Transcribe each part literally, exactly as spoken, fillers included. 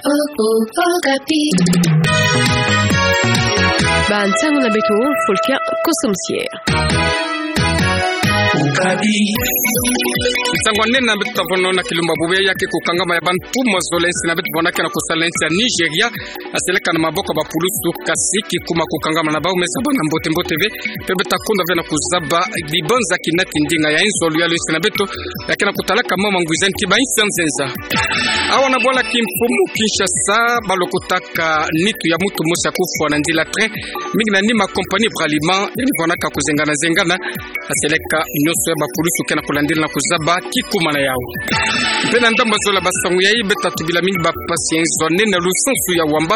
Okapi. Bansango na beto, Folkia Kosomsie. Okapi. Nsangu anene na beto ta vwanda nao na kilumbu bubu yayi ke kukangama ya bantu mazola ya nsi na beto vwanda ke na kusala na nsi ya Nigeria, aseleka na maboko ya bapulusu, kasi kikuma kukangama na bau me zaba na mbote mbote ve, mpe beto ta kunda ve na kuzaba dibanza kinati ndinga ya inzo ya luyalu ya nsi na beto, ya ke na kutalaka mama ngwizani ti ba insi ya nzenza. Awa na bwala kimfumu Kinshasa, balokotaka nitu ya muntu mosi ya kufwa na nzila train, mingi na nima compagnie Bralima, ya ni vwanaka kuzengana zengana, aseleka nyonso ya bapulusu ke na kulandila na kuzaba kikuma na yau. Mpe na ndambu ya zola basangu yayi, beto ta tubila mingi bampasi ya inzo anene na lusansu ya Wamba,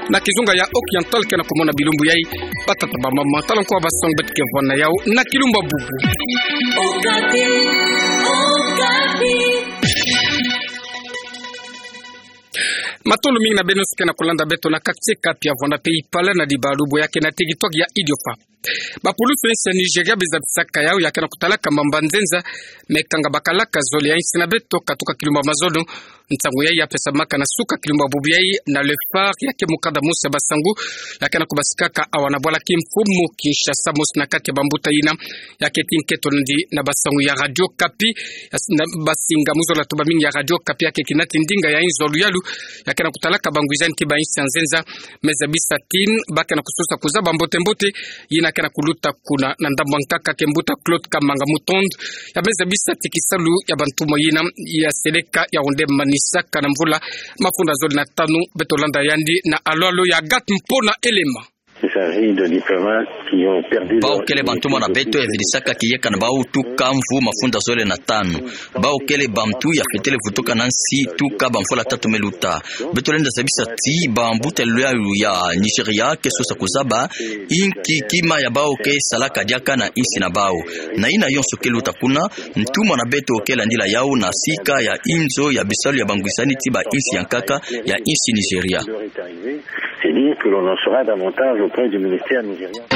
na kizunga ya Occidental ke na kumona bilumbu yayi, batata bamama, tala nko basangu beto ke vwanda na yau na kilumbu bubu. Okapi, Okapi. Matondo mingi na beno nyonso ke na kulanda beto na quartier Kapi ya vwanda mpe Ipala na dibalubu ya ke na territoire ya Idiofa. Bapulusu ya nsi ya Nigeria be zabisaka yau ya ke na kutalaka mamba nzenza, me kanga bakalaka zole ya nsi na beto katuka kilumbu ya mazono. Nsangu yayi ya pesamaka na suka kilumbu bubu yayi na Le Phare, ya ke mukanda mosi ya basangu ya ke na kubasikaka awa na bwala kimfumu Kinshasa, mosi na kati ya bambuta yina ya ke ti nketo nandi na basangu ya Radio Okapi, ya s-, na basinga mu zola tuba mingi ya Radio Okapi, ya ke kinati ndinga ya inzo ya luyalu, ya ke na kutalaka bangwizani ti ba insi ya nzenza, me zabisa ti ba ke na kusosa kuzaba mbote mbote yina ke na kuluta kuna na ndambu ya nkaka ke mbuta Claude Kamanga Mutondu, ya me zabisa ti kisalu ya bantumwa yina ya seleka ya onde manisaka na mvula mafunda zole na tanu. Beto landa yandi na alo alo ya Agathe Mpona Elema. Il s'agit de diplomates qui ont perdu leur immunité depuis... Bau kele bantumwa na beto ya vidisaka kiyeka na bau tuka mvu mafunda zole na tanu. Bau kele bantu ya fetele vutuka na nsi tuka bamvula tatu me luta. Beto lenda zabisa ti bambuta ya luyalu ya Nigeria ke sosa kuzaba inki kima ya bau ke salaka diaka na nsi na bau. Na yina yonso ke luta kuna, ntumwa na beto ke landila yau na sika ya inzo ya bisalu ya bangwizani ti ba insi ya nkaka ya nsi Nigeria. C'est dire que l'on en saura davantage auprès du ministère nigérien.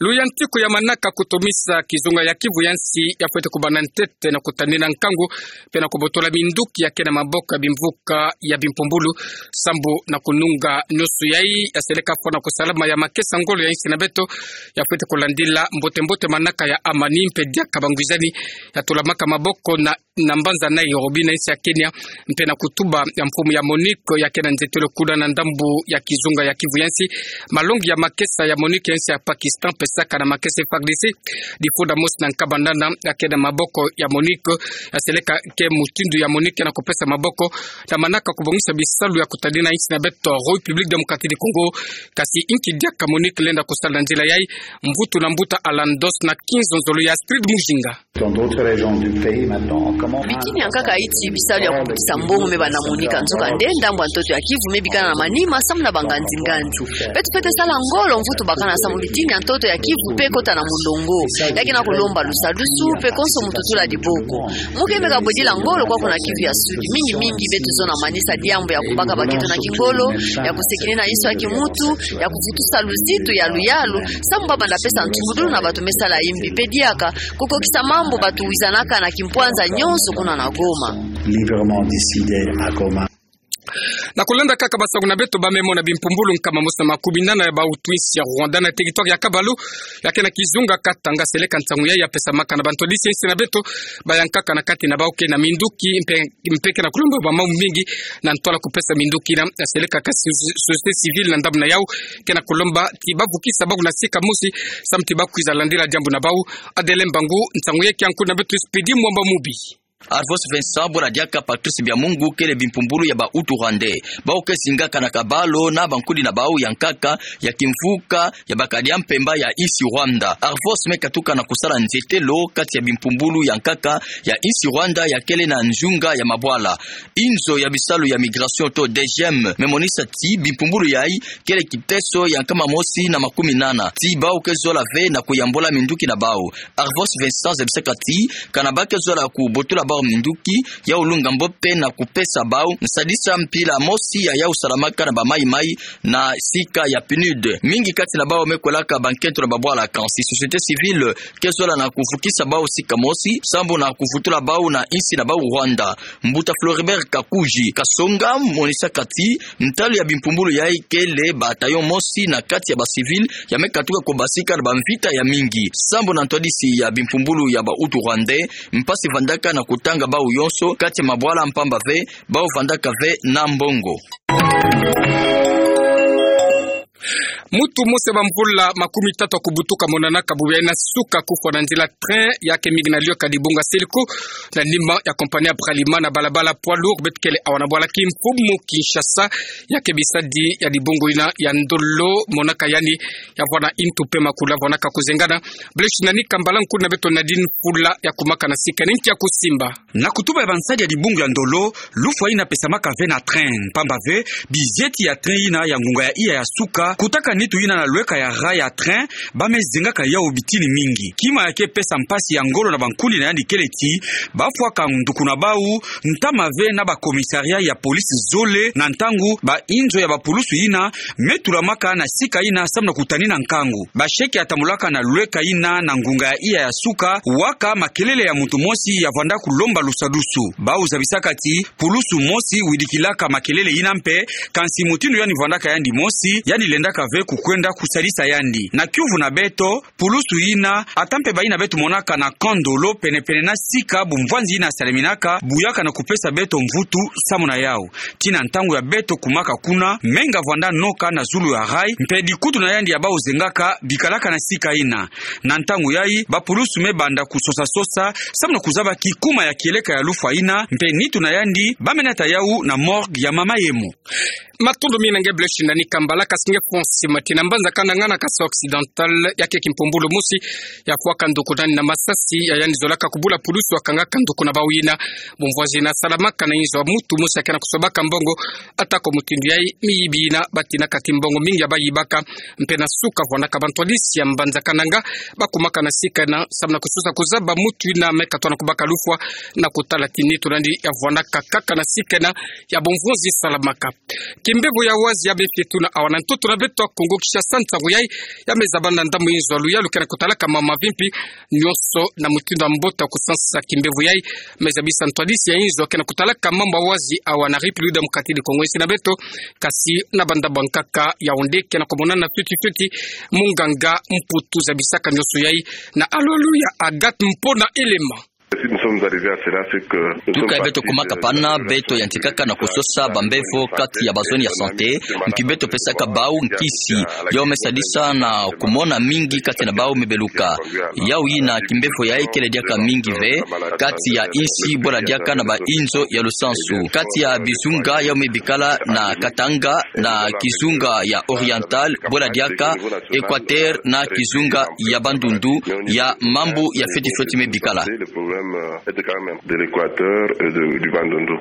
Luyantiku ya manaka kutumisa kizunga ya Kivu ya nsi ya fwete kubanda ntete na kutanina nkangu, mpe na kubotola minduki ya ke na maboko ya bimvuka ya bimpumbulu, sambu na kununga nyonso yayi ya seleka fwana kusalama ya makesa ngolo ya nsi na beto, ya fwete kulandila mbote mbote manaka ya amani mpe diaka bangwizani ya tulamaka maboko na na mbanza Nairobi na nsi ya Kenya, mpe na kutuba ya mfumu ya MONUC ya ke na nzetelo kuna na ndambu ya kizunga ya Kivu ya nsi, malongi ya makesa ya MONUC ya nsi ya Pakistan pesaka na makesa F A R D C, difunda mosi na nkaba nana ya ke na maboko ya MONUC, ya seleka ke mutindu ya MONUC ya na kupesa maboko na manaka kubongisa bisalu ya kutanina nsi na beto République Démocratique du Congo, kasi inki diaka MONUC lenda kusala na nzila yayi, mvutu na mbuta Alandos na kinzonzolo ya Astrid Mujinga. Dans d'autres régions du pays maintenant, comment... Bitini ya nkaka iti bisalu ya kubutisa mbongo me banda monika, nzokande ndambu ya ntoto ya Kivu me bikana na manima samu na banganzi-nganzi. Beto fwete sala ngolo mvutu bakana samu bitini ya ntoto ya Kivu mpe kota na mulongo. Ya ke na kulomba lusadusu mpe konso muntu tula diboko. Mu ke meka bwedila ngolo kwa kuna Kivu ya Sud. Mingi mingi beto zono manisa diambu ya kubaka baketo na kingolo, ya kusekinina inso ya kimuntu, ya kuvutusa luzitu ya luyalu, samu ba banda pesa ntungudulu na bato me sala imbi mpe diaka kukokisa mambu bato wizanaka na kimpwanza nyonso kuna na Goma. Librement décidé à Goma. Na kulanda kaka basangu na beto, ba me mona bimpumbulu nkama mosi na makumi nana ya bautu ya nsi ya Rwanda na territoire ya Kabalu, ya ke na kizunga Katanga, seleka nsangu yayi ya pesamaka na bantwadisi ya nsi na beto, ba ya nkaka na kati na bau ke na minduki, mpe, mpe ke na kulomba ba mambu mingi na ntwala kupesa minduki yina, ya seleka ka so-, société civile na ndambu na yau ke na kulomba ti ba vukisa bau na sika mosi, samu ti ba kwiza landila diambu na bau. Adele Mbangu, nsangu yayi ke ya nkundi na beto Expédit Mwamba Mubi. Arvos Vincent, bula diaka Patrice Byamungu, kele bimpumbulu ya bautu rwandais. Bau ke zingaka na Kabalu na bankudi na bau ya nkaka ya kimvuka ya bakadia mpemba ya nsi Rwanda. Arvos me katuka na kusala nzetelo kati ya bimpumbulu ya nkaka ya nsi Rwanda ya kele na nzunga ya mabwala. Inzo ya bisalu ya migration to D G M me monisa ti bimpumbulu yayi kele kiteso ya nkama mosi na makumi nana. Ti bau ke zola ve na kuyambula minduki na bau. Arvos Vincent zebisaka ti, kana ba ke zola kubotula bau minduki, yau lunga mbo mpe na kupesa bau nsadisa mpila mosi ya yau salamaka na bamaimai na sika ya PNUD. Mingi kati na bau me kwelaka bankento na babwala kansi société civile ke zola na kuvukisa bau sika mosi, sambu na kuvutula bau na insi na bau Rwanda. Mbuta Floribert Kakuji Kasonga monisaka ti ntalu ya bimpumbulu yayi kele bataillon mosi na kati ya bacivil ya me katuka kubasika na bamvita ya mingi. Sambu na ntwadisi ya bimpumbulu ya ba Hutu rwandais, mpasi vandaka na kutanga bau yonso kati ya mabwala mpamba ve bau vandaka ve na mbongo. Mutu mosi ya bamvula makumi tatu ya kubutuka monanaka bubu yayi na suka kufwa na nzila train ya ke mingi na lweka dibunga Siliku na nima ya compagnie ya Bralima na balabala poids lourd beto kele awa na bwala Kimpumu Kinshasa ya ke bisadi ya dibungu yina ya ndolo monaka yandi ya vwa na intu mpe makula vonaka kuzengana. Blaise Nani Kambala, nkulu na beto Nadine Fula ya kumaka na sika ni nki ya kusimba. Na kutuba ya bansadi ya dibungu ya ndolo, lufwa yina pesamaka ve na train, mpamba ve bizieti ya train yina ya ngunga ya iya ya suka kutaka nitu yina na lweka ya rail ya train ba me zengaka yau bitini mingi. Kima ya ke pesa mpasi ya ngolo na bankundi na yandi kele ti bafwaka nduku na bau ntama ve na ba commissariat ya police zole na ntangu ba inzo ya bapulusu yina me tulamaka na sika yina samu na kutanina nkangu. Basheke ya tambulaka na lweka yina na ngunga ya iya ya suka waka makelele ya muntu mosi ya vwanda kulomba lusadusu. Bau zabisaka ti pulusu mosi widikilaka makelele yina mpe, kansi mutindu yandi vwandaka yandi mosi, yandi lendaka ve kukwenda kusadisa yandi. Na kiuvu na beto, pulusu yina, ata mpe bayina beto monaka na camp Ndolo penepene na sika bumvwanzi yina saleminaka, buyaka na kupesa beto mvutu samu na yau. Tii na ntangu ya beto kumaka kuna, menga vwanda noka na zulu ya rail, mpe dikutu na yandi ya bau zengaka bikalaka na sika yina. Na ntangu yayi, bapulusu me banda kusosa-sosa samu na kuzaba kikuma ya kieleka ya lufwa yina, mpe nitu na yandi ba me nata yau na morgue ya mama Yemo. Matondo mingi na nge Blaise Nani Kambala. Kasi nge Fonsi Mati na mbanza Kananga na Kasaï Occidental ya ke kimpumbulu mosi ya fwaka nduku nani na masasi ya yandi zolaka kubula pulusu ya kangaka nduku na bau yina. Bumvwanzi yina salamaka na inzo ya mutu mosi ya ke na kusobaka mbongo, atako mutindu yayi miyibi yina batinaka ti mbongo mingi ya bayibaka. Mpe na suka vwandaka bantwadisi ya mbanza Kananga ba kumaka na sika yina samu na kusosa kuzaba mutu yina me katwa na kubaka lufwa na kutala ti nitu nani ya vwandaka kaka na sika yina ya bumvwanzi salamaka. Kimbevo ya wazi ya befetu na awa na ntoto na beto ya Kongo Kinshasa ntangu yayi ya me zaba na ndambu inzo ya luyalu ke na kutalaka mambu mavimpi nyonso na mutindu ya mbote ya kusansa. Kimbevo yayi me zabisa ntwadisi ya inzo ke na kutalaka mambu ya wazi awa na République Démocratique du Congo, insi na beto, kasi na bandambu ya nkaka Yaoundé ke na kumonana fioti fioti. Munganga Mputu zabisaka nyonso yayi na alulu ya Agathe Mpona Elema. Si nous sommes arrivés à cela, c'est que nous sommes partis, euh, de la consultation. Tuka ya beto kumaka pana, beto yantikaka na kusosa bambevo kati ya bazone ya santé, mpi beto pesaka bau nkisi, yau me sadisa na kumona mingi kati na bau me beluka. Yau yina kimbevo yayi kele diaka mingi ve kati ya insi bwela diaka na ba inzo ya lusansu. Kati ya bizunga yau me bikala na Katanga, na kizunga ya Oriental, bwela diaka Équateur, na kizunga ya Bandundu, ya mambu ya fioti fioti me bikala. Le problème, euh, est quand même de l'Équateur et de, du Bandundu.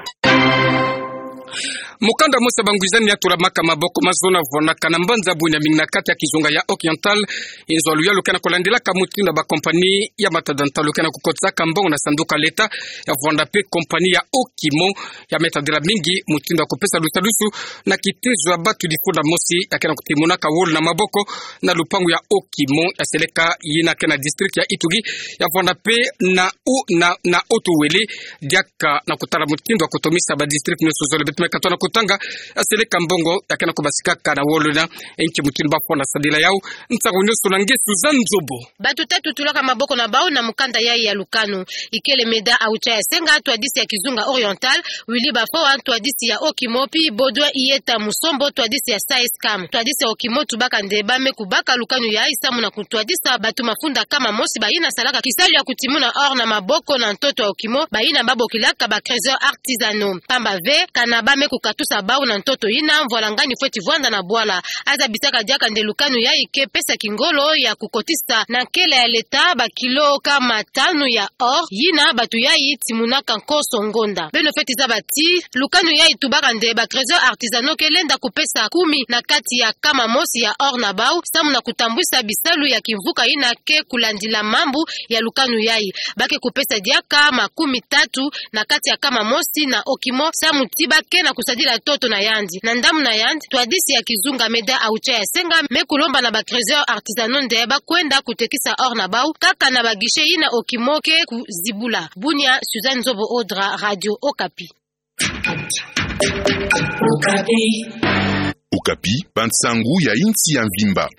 Mukanda mosi ya bangwizani ya tulamaka maboko mazono vwandaka na mbanza Bouin-Mingi na kati ya kizunga ya Oriental, inzo ya luyalu ke na kulandilaka mutindu ya ba compagnie ya matadantalo ke na kukotisaka mbongo na sanduku ya leta, ya vwanda mpe compagnie ya Okimo, ya me tadila mingi mutindu ya kupesa lusadusu na kitezo ya batu difunda mosi ya ke na kutimunaka wolo na maboko na lupangu ya Okimo ya seleka yina ke na district ya Ituri, ya vwanda mpe na u-, na, na Haut-Uélé, diaka na kutala mutindu ya kutomisa ba district nyonso zole beto me katwa na kutanga, ya seleka mbongo ya ke na kubasikaka na wolo yina, nki mutindu ba fwana sadila yau. Ntangu nyonso na nge Suzanne Nzobo. Batu tatu tulaka maboko na bau na mukanda yayi ya lukanu. Ikele Meda Aoucha ya Senga, ntwadisi ya kizunga Oriental, Willy Bafoa, ntwadisi ya Okimo, mpi Baudouin Iyeta Musombo, ntwadisi ya SAESCAM. Ntwadisi ya Okimo tubaka nde ba me kubaka lukanu yayi samu na kutwadisa batu mafunda nkama mosi bayina salaka kisalu ya kutimuna or na maboko na ntoto ya Okimo, bayina ba bokilaka ba creuseurs artisanaux. Pamba ve, kana ba me kukata tusa bau na ntoto yina mvwalangani fweti vwanda na bwala. Aza bisaka diaka nde lukanu yayi ke pesa kingolo ya kukotisa na nkele ya leta bakilo kama tanu ya or, yina batu yayi timunaka nkoso ngonda. Beno fweti zaba ti lukanu yayi tubaka nde ba creuseurs artisanaux ke lenda kupesa kumi na kati ya kama mosi ya or na bau, samu na kutambwisa bisalu ya kimvuka yina ke kulandila mambu ya lukanu yayi. Ba ke kupesa diaka makumi tatu na kati ya kama mosi na okimo, samu ti ba ke na kusadila ntoto na yandi. Na ndambu na yandi, twadisi ya kizunga Meda Aucha ya Senga me kulomba na ba creuseurs artisanaux nde ba kwenda kutekisa or na bau kaka na ba guichets yina okimo ke kuzibula. Bunia, Suzanne Nzobo Odra, Radio Okapi. Okapi, bansangu ya insi ya mvimba.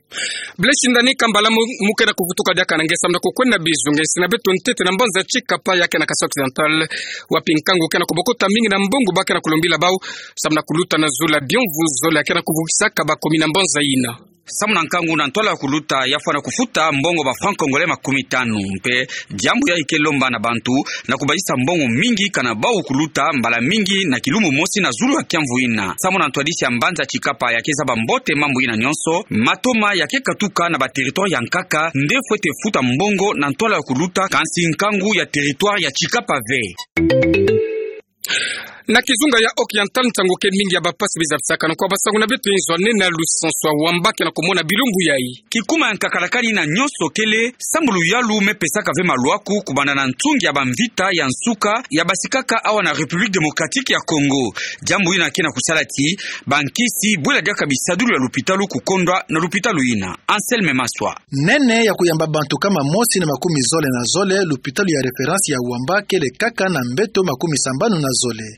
Blaise Ndani Kambala mu-, mu ke na kuvutuka diaka na nge samu na kukwenda bizu nge nsi na beto ntete na mbanza Tshikapa ya ke na Kasaï Occidental, wapi nkangu ke na kubokota mingi na mbongo ba ke na kulombila bau samu na kuluta na zulu ya bionvu zole ya ke na kuvukisaka bakomi na mbanza yina. Samu na nkangu na ntwala ya kuluta ya fwana kufuta mbongo ba francs congolais makumi tanu, mpe diambu yayi ke lomba na bantu na kubazisa mbongo mingi kana bau kuluta mbala mingi na kilumbu mosi na zulu ya kiamvu yina. Samu na ntwadisi ya mbanza Tshikapa ya ke zaba mbote mambu yina nyonso, matoma ya ke katuka na ba territoires ya nkaka nde fwete futa mbongo na ntwala ya kuluta, kansi nkangu ya territoire ya Tshikapa ve. Na kizunga ya Occidental, nsangu ke mingi ya bapasi biza bisaka na kwa basangu na beto inzo nene ya lusansu ya wamba ke na kumona bilumbu yayi. Kikuma ya nkaka lakani na nyonso kele sambu luyalu me pesaka ve malwaku kubanda na ntungi ya bamvita ya nsuka ya basikaka awa na République Démocratique ya Congo. Diambu yina ke na kusala ti bankisi bwela diaka bisadulu ya lupitalu kukondwa na lupitalu yina. Anselme Maswa. Nene ya kuyamba bantu kama mosi na makumi zole na zole, lupitalu ya référence ya wamba kele kaka na mbeto makumi sambanu na zole.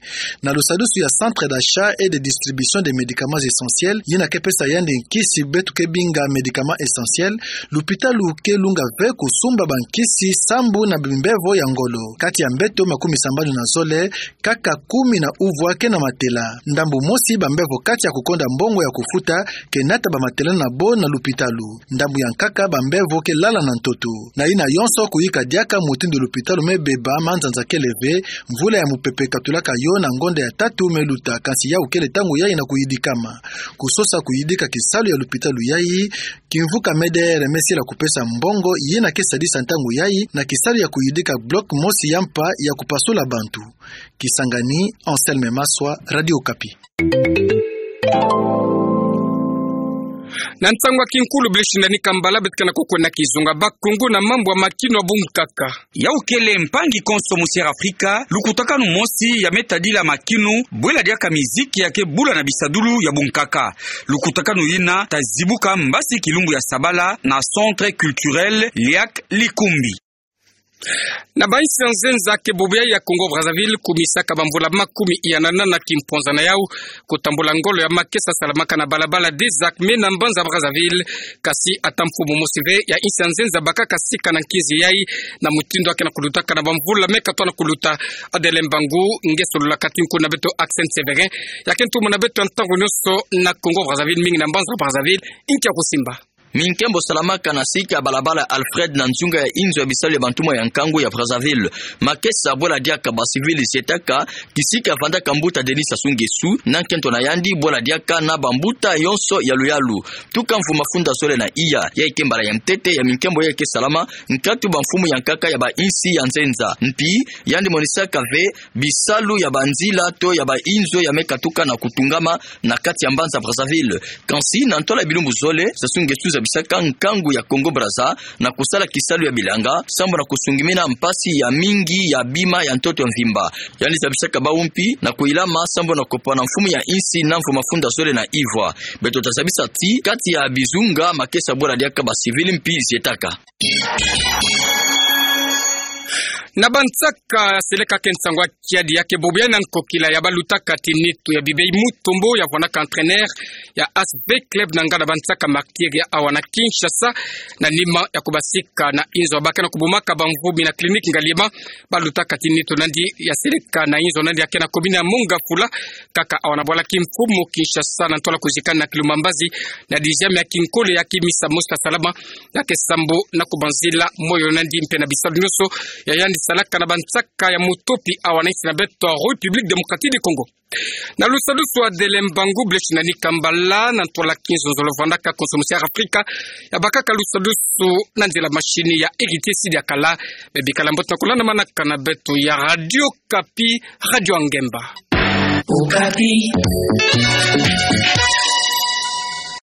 Na lusadusu ya centre d'achat et de distribution des médicaments essentiels, yina ke pesa yandi nkisi beto ke binga médicaments essentiels, lupitalu ke lunga ve kusumba bankisi sambu na bimbevo ya ngolo. Kati ya mbeto makumi sambanu na zole, kaka kumi na uvwa ke na matela. Ndambu mosi bambevo kati ya kukonda mbongo ya kufuta ke nata bamatela na bo na lupitalu. Ndambu ya nkaka bambevo ke lala na ntoto. Na yina yonso kuyika diaka mutindu lupitalu me beba manzanza kele ve, mvula ya mupepe katulaka yo na ngonda ya tatu me luta, kansi yawu kele ntangu yayi na kuyidikama. Kusosa kuyidika kisalu ya lupitalu yayi, kimvuka M D R me sila kupesa mbongo yina ke sadisa ntangu yayi na kisalu ya kuyidika bloc mosi ya mpa ya kupasula bantu. Kisangani, Anselme Maswa, Radio Okapi. Na nsangu ya kinkulu, Blaise Ndani Kambala, beto ke na kukwenda kizunga bakungu na mambu ya makinu ya bunkaka. Yawu kele mpangi konso mu Sierra Afrika, lukutakanu mosi ya me tadila makinu, bwela diaka miziki ya ke bula na bisadulu ya bunkaka. Lukutakanu yina ta zibuka mbasi kilumbu ya sabala na Centre Culturel Liak Likumbi. Na bainsi ya nzenza ke bubu ya Congo Brazzaville, kumisaka bamvula makumi ya nana na kimponza na yawu, kutambula ngolo ya makesa salamaka na balabala des Arcs me na mbanza Brazzaville, kasi ata mfumu mosi ve ya insi ya nzenza bakaka sika na nkinzi yayi, na mutindu ya ke na kulutaka na bamvula me katwa na kuluta. Adele Mbangu, nge sololaka ti nkunga na beto Accent Sévérin, ya ke ntumwa na beto ya ntangu nyonso na Congo Brazzaville, mingi na mbanza Brazzaville, inki ya kusimba. Minkembo salamaka na sika ya balabala Alfred na nzunga ya inzo ya bisalu ya bantumwa ya nkangu ya Brazzaville. Makesa bwela diaka bacivil zietaka, kisika vandaka mbuta Denis Sassou Nguesso na nkento na yandi, bwela diaka na bambuta yonso ya luyalu. Tuka mvu mafunda zole na iya, yayi ke mbala ya ntete ya minkembo yayi ke salama nkatu bamfumu ya nkaka ya bainsi ya nzenza. Mpi, yandi monisaka ve bisalu ya banzila to ya bainzo ya me katuka na kutungama na kati ya mbanza Brazzaville. Kansi na ntola ya bilumbu zole, Sassou Nguesso zabisaka nkangu ya Congo Brazza na kusala kisalu ya bilanga, sambu na kusungimina mpasi ya mingi ya bima ya ntoto mvimba. Yandi zabisaka bawu mpi na kuyilama sambu na kopana mfumu ya insi na mvu mafunda zole na ivwa. Beto ta zabisa ti, kati ya bizunga makesa bwela diaka bacivil mpi zietaka. Na bansaka seleka ke nsangu ya kiadi ya ke bobo ya na nkokila ya balutaka ti nitu ya Bibei Mutombo ya vwanaka entraîneur ya A S B Club na nganda bansaka Martyrs ya awa na Kinshasa, na nima ya kubasika na inzo ba ke na kubumaka bamvumi na clinique Ngaliema, balutaka ti nitu nandi ya seleka na inzo nandi ya ke na commune ya Mont-Ngafula, kaka awa na bwala kimfumu Kinshasa na ntola kuzikana na Kilumba Mbazi, na dixième ya kinkole ya kimisa mosi ya salama, na ke sambu na kubanzila moyo nandi mpe na bisalu nyonso ya yandi salaka na bansaka ya mutopi awa na insi na beto ya République Démocratique du Congo. Na lusadusu wa Dele Mbangu, Blaise Nani Kambala, na ntwala kinzonzolo vandaka konso musi ya Afrika, yabakaka lusadusu na nzila mashini ya Héritier Sidi Akala. Bebikala mbote na kolanda manaka na beto ya Radio Okapi, Radio ya Ngemba. Okapi.